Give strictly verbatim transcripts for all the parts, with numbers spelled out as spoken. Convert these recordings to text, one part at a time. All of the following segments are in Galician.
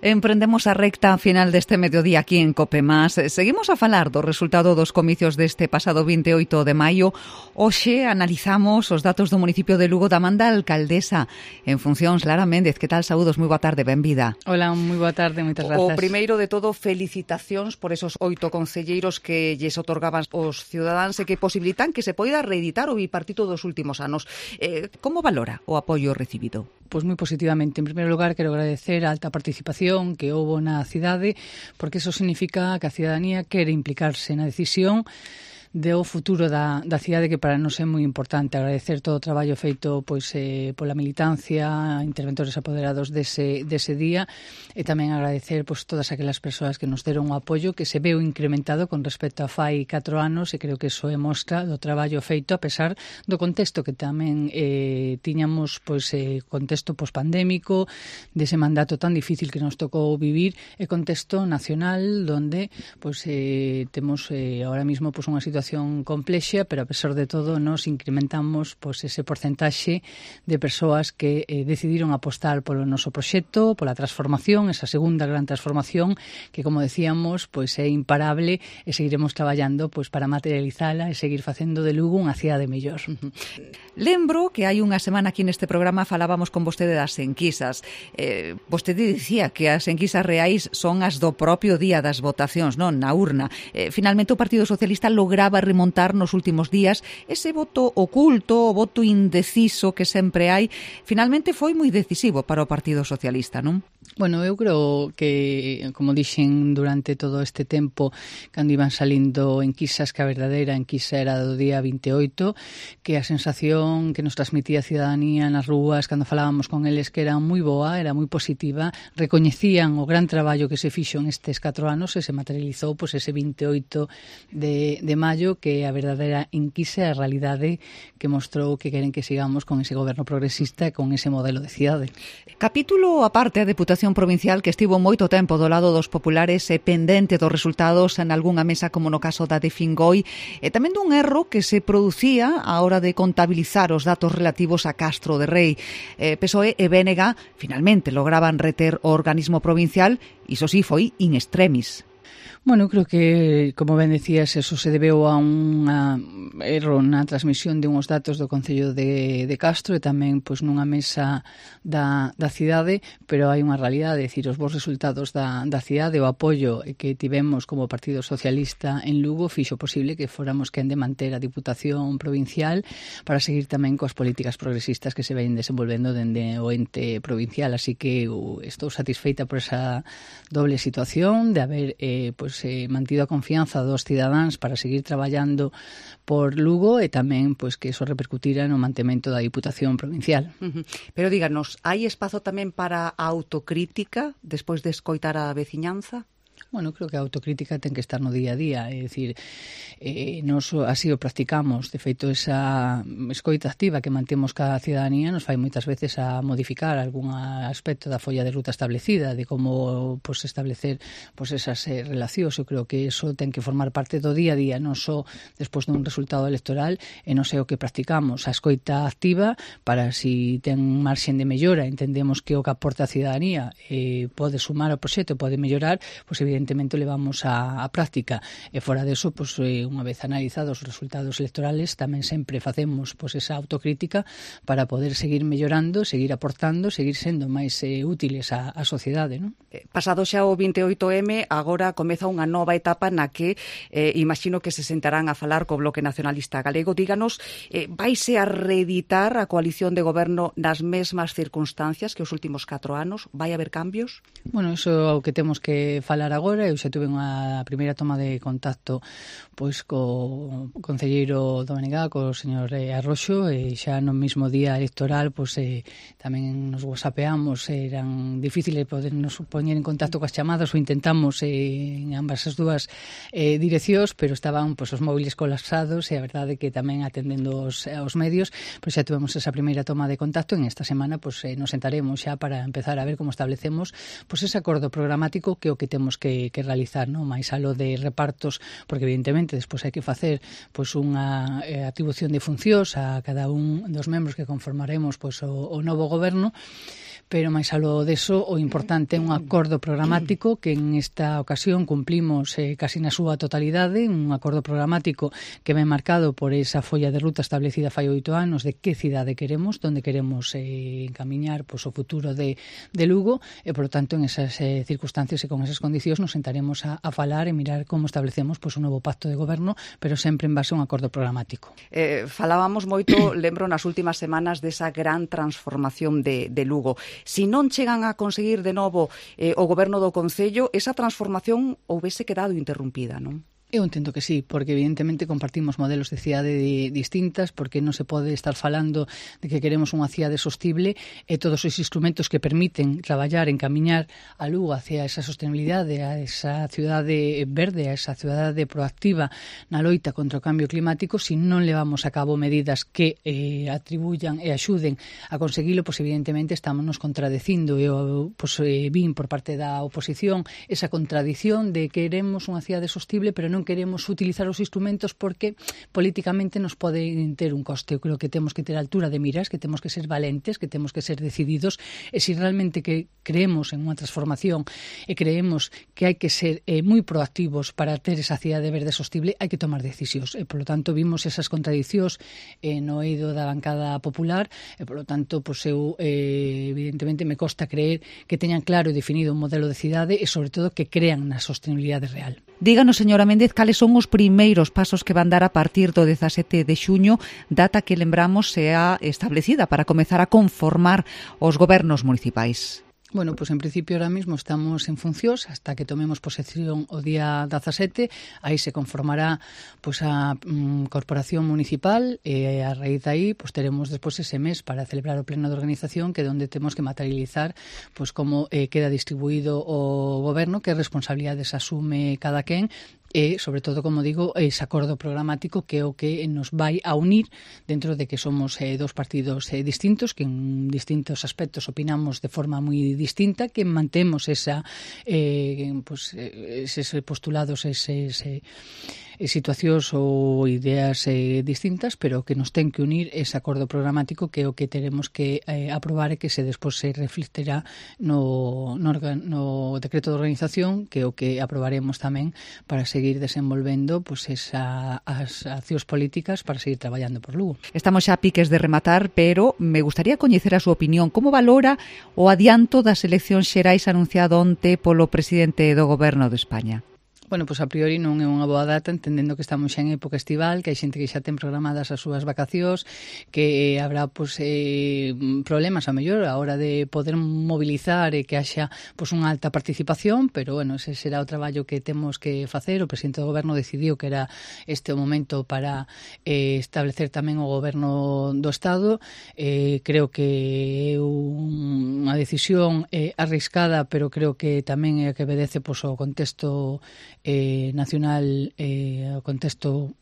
Emprendemos a recta final deste mediodía aquí en COPEMás. Seguimos a falar do resultado dos comicios deste pasado vinte e oito de maio. Hoxe analizamos os datos do municipio de Lugo da man da alcaldesa. En funcións, Lara Méndez, que tal? Saúdos, moi boa tarde, benvida. Hola, moi boa tarde, moitas grazas. O primeiro de todo, felicitacións por esos oito concelleiros que lles otorgaban os cidadáns e que posibilitan que se poida reeditar o bipartito dos últimos anos. Eh, como valora o apoio recibido? Pois moi positivamente. En primeiro lugar, quero agradecer a alta participación que houbo na cidade, porque iso significa que a cidadanía quere implicarse na decisión do futuro da, da cidade, que para nós é moi importante. Agradecer todo o traballo feito pois eh, pola militancia, interventores apoderados dese, dese día, e tamén agradecer pois todas aquelas persoas que nos deron o apoio, que se veu incrementado con respecto a fai catro anos, e creo que iso é mostra do traballo feito a pesar do contexto que tamén eh, tiñamos, pois eh, contexto pospandémico, dese mandato tan difícil que nos tocou vivir, e contexto nacional donde pois eh, temos eh, ahora mismo pois unha situación complexa, pero a pesar de todo nos incrementamos pois, ese porcentaxe de persoas que eh, decidiron apostar polo noso proxecto, pola transformación, esa segunda gran transformación que, como decíamos, pois é imparable, e seguiremos traballando pois para materializala e seguir facendo de Lugo unha cidade mellor. Lembro que hai unha semana aquí neste programa falábamos con vostede das enquisas. Eh, vostede dicía que as enquisas reais son as do propio día das votacións, non na urna. Eh, finalmente o Partido Socialista lograba remontar nos últimos días ese voto oculto, o voto indeciso que sempre hai. Finalmente foi moi decisivo para o Partido Socialista, non? Bueno, eu creo que, como dixen durante todo este tempo, cando iban salindo enquisas, que a verdadeira enquisa era do día vinte e oito, que a sensación que nos transmitía a cidadanía nas rúas cando falábamos con eles que era moi boa, era moi positiva, recoñecían o gran traballo que se fixo en estes catro anos e se materializou pois, ese vinte e oito de, de maio, que é a verdadeira enquisa e a realidade que mostrou que queren que sigamos con ese goberno progresista e con ese modelo de cidade. Capítulo aparte, a Deputación Provincial, que estivo moito tempo do lado dos populares e pendente dos resultados en algunha mesa, como no caso da de Fingoi, e tamén dun erro que se producía á hora de contabilizar os datos relativos a Castro de Rei. Eh, P S O E e B N G finalmente lograban reter o organismo provincial, iso sí foi in extremis. Bueno, creo que, como ben decías, eso se debeu a un erro na transmisión de uns datos do Concello de, de Castro e tamén pois, nunha mesa da, da cidade, pero hai unha realidade, decir, os bons resultados da, da cidade, o apoio que tivemos como Partido Socialista en Lugo fixo posible que fóramos quen de manter a Diputación Provincial para seguir tamén coas políticas progresistas que se ven desenvolvendo dende o ente provincial, así que uh, estou satisfeita por esa doble situación de haber eh, pois, eh, mantido a confianza dos cidadáns para seguir traballando por Lugo e tamén pois que eso repercutira no mantemento da Diputación Provincial. Uh-huh. Pero díganos, hai espazo tamén para a autocrítica despois de escoitar a veciñanza? Bueno, creo que a autocrítica ten que estar no día a día, é dicir, eh, nos así o practicamos, de feito esa escoita activa que mantemos ca cidadanía nos fai moitas veces a modificar algún aspecto da folla de ruta establecida, de como pues, establecer pues, esas eh, relacións. Eu creo que eso ten que formar parte do día a día, non só despois dun resultado electoral, e non sei o que practicamos, a escoita activa para si ten marxen de mellora, entendemos que o que aporta a cidadanía eh, pode sumar ao proxecto, pode mellorar, pois pues, evidentemente levamos a, a práctica, e fora deso, pues, eh, unha vez analizados os resultados electorales, tamén sempre facemos pues, esa autocrítica para poder seguir mellorando, seguir aportando, seguir sendo máis eh, útiles á, á sociedade, non? Pasado xa o vinte e oito eme, agora comeza unha nova etapa na que eh, imagino que se sentarán a falar co Bloque Nacionalista Galego. Díganos, eh, vaise a reeditar a coalición de goberno nas mesmas circunstancias que os últimos catro anos? Vai haber cambios? Bueno, iso é o que temos que falar agora. Eu xa tuve unha primeira toma de contacto pois co concelleiro do B N G, co señor Arroxo, e xa no mesmo día electoral pois eh, tamén nos whatsappeamos, eran difíciles podernos poñer en contacto coas chamadas, o intentamos eh, en ambas as dúas eh, direccións, pero estaban pois, os móviles colapsados, e a verdade que tamén atendendo os, os medios, pois xa tuvemos esa primeira toma de contacto. En esta semana pois eh, nos sentaremos xa para empezar a ver como establecemos pois ese acordo programático que o que temos que que, que realizar, non? Mais alo de repartos, porque evidentemente despois hai que facer pois unha eh, atribución de funcións a cada un dos membros que conformaremos pois o, o novo goberno, pero máis aló deso, o importante é un acordo programático que en esta ocasión cumplimos eh, casi na súa totalidade, un acordo programático que ven marcado por esa folla de ruta establecida fai oito anos de que cidade queremos, donde queremos eh, encamiñar pois, o futuro de, de Lugo, e, por lo tanto, en esas eh, circunstancias e con esas condicións nos sentaremos a, a falar e mirar como establecemos pois, un novo pacto de goberno, pero sempre en base a un acordo programático. Eh, falábamos moito, lembro, nas últimas semanas desa gran transformación de, de Lugo. Si non chegan a conseguir de novo eh, o goberno do Concello, esa transformación houvese quedado interrumpida, non? Eu entendo que sí, porque evidentemente compartimos modelos de cidade distintas, porque non se pode estar falando de que queremos unha cidade sostible e todos os instrumentos que permiten traballar, encamiñar a Lugo hacia esa sostenibilidade, a esa cidade verde, a esa cidade proactiva na loita contra o cambio climático, se non levamos a cabo medidas que eh, atribuyan e axuden a conseguilo, pois evidentemente estamos nos contradecindo. Eu pois, eh, vin por parte da oposición esa contradición de que queremos unha cidade sostible, pero non queremos utilizar os instrumentos porque políticamente nos pode ter un coste. Eu creo que temos que ter altura de miras, que temos que ser valentes, que temos que ser decididos, e se realmente que creemos en unha transformación e creemos que hai que ser eh, moi proactivos para ter esa cidade verde sostible, hai que tomar decisións. E, polo tanto, vimos esas contradicións eh, no eido da bancada popular e, polo tanto, pois eu eh, evidentemente me costa creer que teñan claro e definido un modelo de cidade e, sobre todo, que crean na sostenibilidade real. Díganos, señora Méndez, cales son os primeiros pasos que van dar a partir do dezasete de xuño, data que, lembramos, sea establecida para comezar a conformar os gobernos municipais. Bueno, pois en principio ahora mismo estamos en funcións hasta que tomemos posesión o día dezasete, aí se conformará pois a mm, corporación municipal e a raíz de aí pois teremos despois ese mes para celebrar o pleno de organización, que é onde temos que materializar pois como eh, queda distribuído o goberno, que responsabilidades asume cada quen, e, sobre todo, como digo, ese acordo programático que é o que nos vai a unir dentro de que somos eh, dos partidos eh, distintos, que en distintos aspectos opinamos de forma moi distinta, que mantemos esa, eh, pues, eses postulados, eses eh, situacións ou ideas eh, distintas, pero que nos ten que unir ese acordo programático que é o que teremos que eh, aprobar e que se despois se reflecterá no, no, no decreto de organización, que é o que aprobaremos tamén para seguir seguir desenvolvendo pues, esa, as accións políticas para seguir traballando por Lugo. Estamos xa a piques de rematar, pero me gustaría coñecer a súa opinión. Como valora o adianto das eleccións xerais anunciado onte polo presidente do Goberno de España? Bueno, pois a priori non é unha boa data, entendendo que estamos xa en época estival, que hai xente que xa ten programadas as súas vacacións, que habrá pois, eh, problemas a mellor a hora de poder mobilizar e que haxa pois, unha alta participación, pero bueno, ese será o traballo que temos que facer. O presidente do Goberno decidiu que era este o momento para eh, establecer tamén o Goberno do Estado. Eh, creo que é unha decisión eh, arriscada, pero creo que tamén é a que obedece pois, o contexto Eh, nacional, eh, o contexto,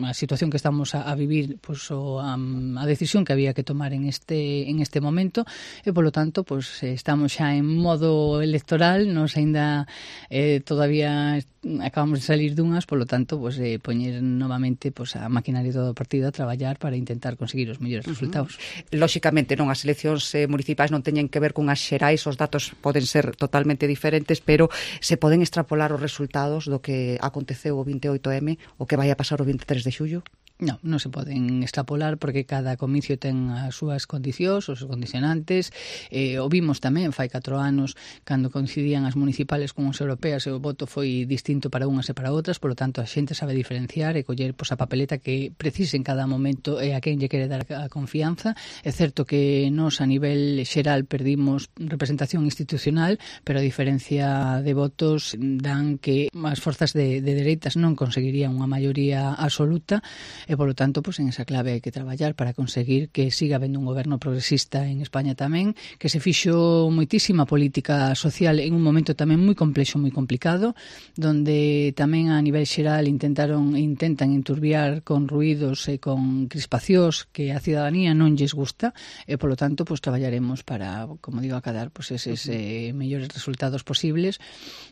a situación que estamos a, a vivir, pues, o, a, a decisión que había que tomar en este en este momento, e polo tanto pues, estamos xa en modo electoral, nos aínda eh, todavía acabamos de salir dunhas, polo tanto pues, eh, poñer novamente pues, a maquinaria do partido a traballar para intentar conseguir os mellores uh-huh. resultados. Lóxicamente non, as eleccións eh, municipais non teñen que ver con as xerais, os datos poden ser totalmente diferentes, pero se poden extrapolar os resultados do que aconteceu o vinte e oito eme, o que vai a pasar o vinte e tres de xullo? Non, non se poden extrapolar porque cada comicio ten as súas condicións, os condicionantes. Eh, o vimos tamén fai catro anos cando coincidían as municipales con as europeas e o voto foi distinto para unhas e para outras, polo tanto a xente sabe diferenciar e coller pois, a papeleta que precise en cada momento e a quen lle quere dar a confianza. É certo que nos a nivel xeral perdimos representación institucional, pero a diferencia de votos dan que as forzas de, de dereitas non conseguirían unha maioría absoluta. e polo tanto, pois en esa clave hai que traballar para conseguir que siga habendo un goberno progresista en España tamén, que se fixo moitísima política social en un momento tamén moi complexo, moi complicado, donde tamén a nivel xeral intentaron intentan enturbiar con ruídos e con crispacións que a cidadanía non lles gusta, e polo tanto, pois traballaremos para, como digo, acadar pois eses eh, mellores resultados posibles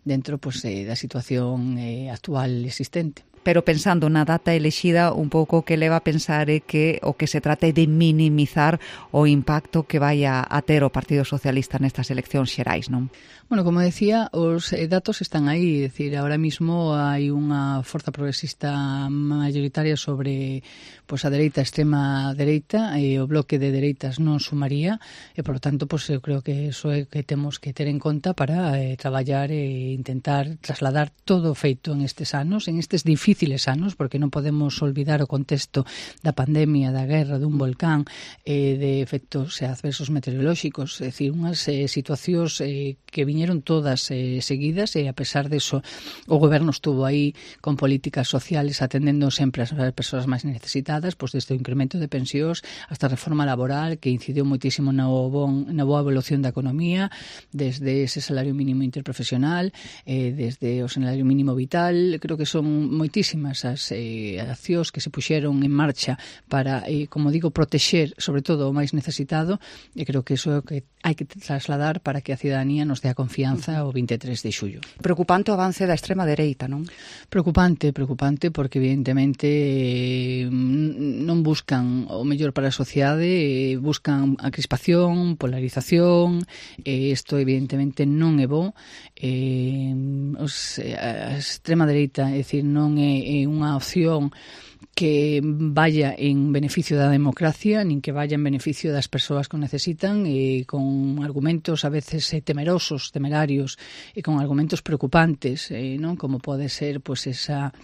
dentro pois eh, da situación eh, actual existente. Pero pensando na data elexida, un pouco que leva a pensar é que o que se trate de minimizar o impacto que vai a, a ter o Partido Socialista nestas eleccións xerais, non? Bueno, como decía, os eh, datos están aí, é dicir, ahora mismo hai unha forza progresista mayoritaria sobre pois a dereita, extrema dereita, e o bloque de dereitas non sumaría, e por lo tanto, pois eu creo que iso é que temos que ter en conta para eh, traballar e intentar trasladar todo o feito en estes anos, en estes difíciles anos, porque non podemos olvidar o contexto da pandemia, da guerra, dun volcán, eh, de efectos adversos meteorolóxicos, é dicir, unhas eh, situacións eh, que viñeron todas eh, seguidas, e a pesar de eso o goberno estuvo aí con políticas sociales atendendo sempre as persoas máis necesitadas, pois desde o incremento de pensións hasta a reforma laboral que incidiu moitísimo na, bon, na boa evolución da economía, desde ese salario mínimo interprofesional, eh, desde o salario mínimo vital. Creo que son moitísimas as eh, accións que se puxeron en marcha para, eh, como digo, protexer sobre todo o máis necesitado, e creo que iso é o que hai que trasladar para que a cidadanía nos dé a confianza o vinte e tres de xullo. Preocupante o avance da extrema dereita, non? Preocupante, preocupante, porque evidentemente eh, non buscan o mellor para a sociedade, eh, buscan a crispación, polarización, e eh, isto evidentemente non é bo. Eh, os, a extrema dereita, é dicir, non é, é unha opción que vaya en beneficio da democracia, nin que vaya en beneficio das persoas que o necesitan, e con argumentos a veces eh, temerosos, temerarios, e con argumentos preocupantes, eh, non, como pode ser pois esa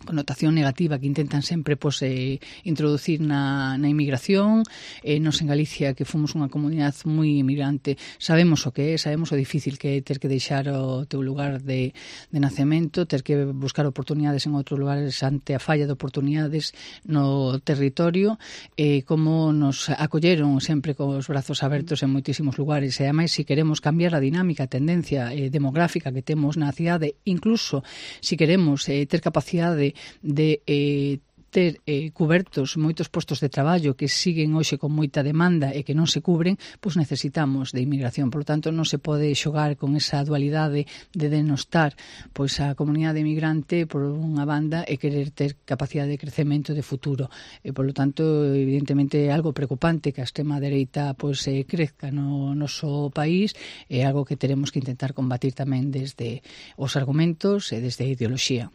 connotación negativa que intentan sempre pois, eh, introducir na, na inmigración. Eh, nos en Galicia, que fomos unha comunidade moi inmigrante, sabemos o que é, sabemos o difícil que é ter que deixar o teu lugar de, de nacemento, ter que buscar oportunidades en outros lugares ante a falla de oportunidades no territorio, eh, como nos acolleron sempre con os brazos abertos en moitísimos lugares, e ademais, se queremos cambiar a dinámica, a tendencia eh, demográfica que temos na cidade, incluso se queremos eh, ter capacidade de eh, ter eh, cubertos moitos postos de traballo que siguen hoxe con moita demanda e que non se cubren, pois necesitamos de inmigración. Por lo tanto, non se pode xogar con esa dualidade de denostar pois a comunidade emigrante por unha banda e querer ter capacidade de crecemento de futuro. E, por lo tanto, evidentemente é algo preocupante que a extrema dereita pois eh, crezca no noso país, é algo que teremos que intentar combatir tamén desde os argumentos e desde a ideoloxía.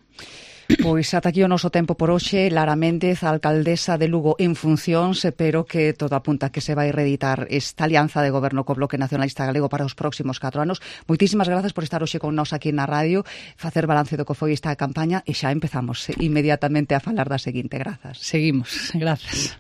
Pois ata aquí o noso tempo por hoxe. Lara Méndez, alcaldesa de Lugo en funcións, pero que todo apunta que se vai reeditar esta alianza de goberno co Bloque Nacionalista Galego para os próximos catro anos. Moitísimas grazas por estar hoxe con nós aquí na radio, facer balance do que foi esta campaña, e xa empezamos inmediatamente a falar da seguinte. Grazas. Seguimos, grazas.